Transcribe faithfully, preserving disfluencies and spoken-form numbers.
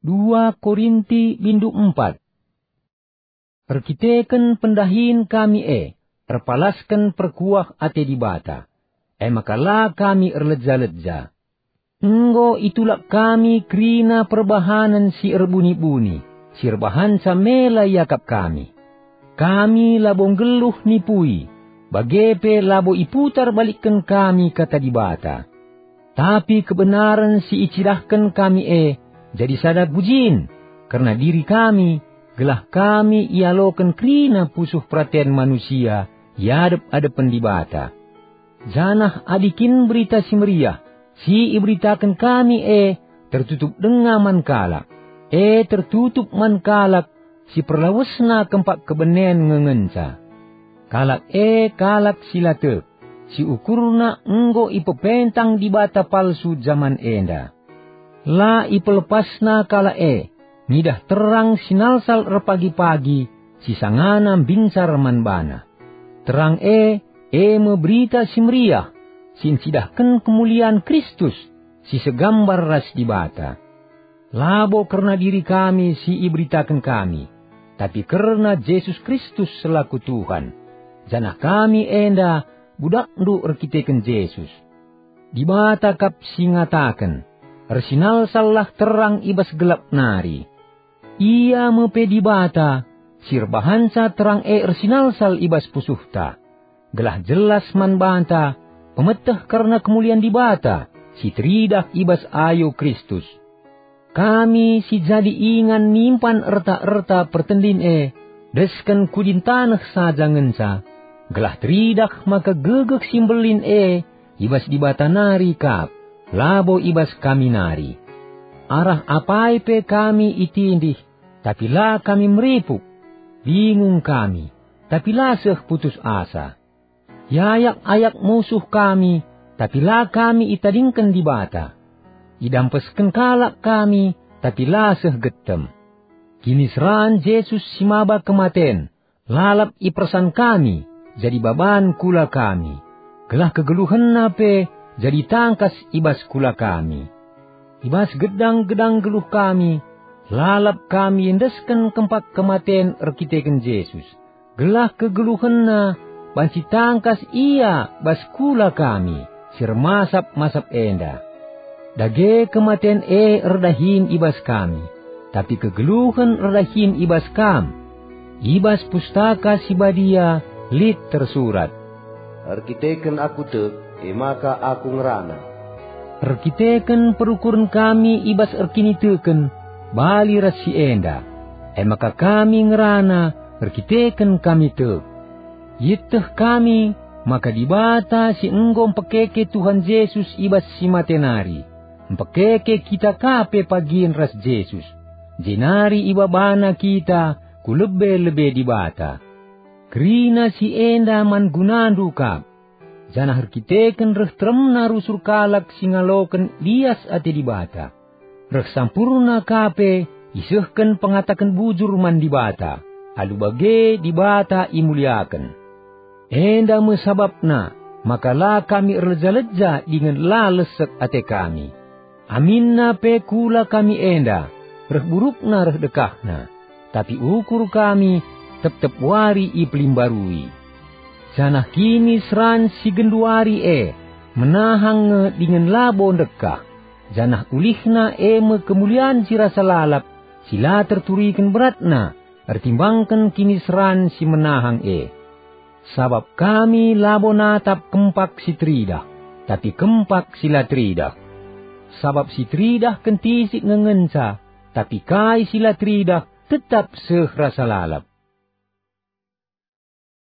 Dua Korinti bindu empat. Erkiteken pendahin kami e, erpalasken perkuah ate Dibata, e maka la kami erleja-leja. Enggo itulak kami kerina perbahanen si erbuni-buni, si erbahanca mela iakap kami. Kami labo nggeluh nipui, bage pe labo iputar balikken kami Kata Dibata. Tapi kebenaren si icidahken kami e jadi sada gujin kerna diri kami, gelah kami ialoken kerina pusuh peraten manusia i adep-adepen Dibata. Janah adi kin Berita Si Meriah si iberitaken kami e tertutup denga man kalak, e tertutup man kalak si perlawesna kempak kebenen nge ngenca. Kalak e kalak si la tek, si ukurna enggo ipepentang dibata palsu jaman enda. La ipelepasna kalak e ngidah terang si nalsal erpagi-pagi si sangana mbincar man bana. Terang e, e me Berita Si Meriah si ncidahken kemulian Kristus si segambar ras Dibata. Labo kerna diri kami si iberitaken kami, tapi kerna Jesus Kristus selaku Tuhan, janah kami enda budakndu erkiteken Jesus. Dibata kap si ngataken, "Ersinalsallah terang i bas gelap nari." Ia me pe Dibata si erbahanca terang e ersinalsal i bas pusuhta, gelah jelas man banta pemeteh kerna kemulian Dibata si teridah i bas ayo Kristus. Kami si jadi ingan nimpan erta-erta pertendin e, desken ku dintaneh saja ngenca, gelah teridah maka gegeh si mbelin e i bas Dibata nari kap, labo i bas kami nari. Arah apai pe kami itindih, tapi la kami meripuk, bingung kami, tapi la seh putus asa. Iayak-ayak musuh kami, tapi la kami itadingken Dibata. Idampesken kalak kami, tapi la seh getem. Kiniseran Jesus si maba kematen, lalap ipersan kami jadi baban kula kami, gelah kegeluhenNa pe jadi tangkas i bas kula kami. I bas gedang-gedang geluh kami, lalap kami endesken kempak kematen erkiteken Jesus, gelah kegeluhenNa banci tangkas Ia bas kula kami si ermasap-masap enda. Dage kematen e erdahin i bas kami, tapi kegeluhen erdahin i bas kam. I bas Pustaka Si Badia lit tersurat, "Erkiteken aku tek, e maka aku ngerana." Erkiteken perukuren kami i bas erkiniteken, bali ras si enda, e maka kami ngerana erkiteken kami tek. Ieteh kami maka Dibata si enggo mpekeke Tuhan Jesus i bas si mate nari, mpekeke kita ka pe pagin ras Jesus, jenari ibabana kita ku lebe-lebe Dibata. Kerina si enda man gunandu kap, janah erkiteken reh teremna rusur kalak si ngaloken lias ate Dibata, reh sampurna ka pe isehken pengataken bujur man Dibata, alu bage Dibata imuliaken. Enda me sabapna maka la kami erleja-leja dingen la lesek ate kami. Aminna pe kula kami enda, reh burukna reh dekahna, tapi ukur kami tep-tep wari ipelimbarui. Janah kiniseran si genduari e menahang nge dingen labo ndekah, janah ulihna e me kemulian si rasa lalap si la terturiken beratna ertimbangken kiniseran si menahang e. Sabap kami labo natap kempak si teridah, tapi kempak si la teridah. Sabap si teridah kentisik nge ngenca, tapi kai si la teridah tetap seh rasa lalap.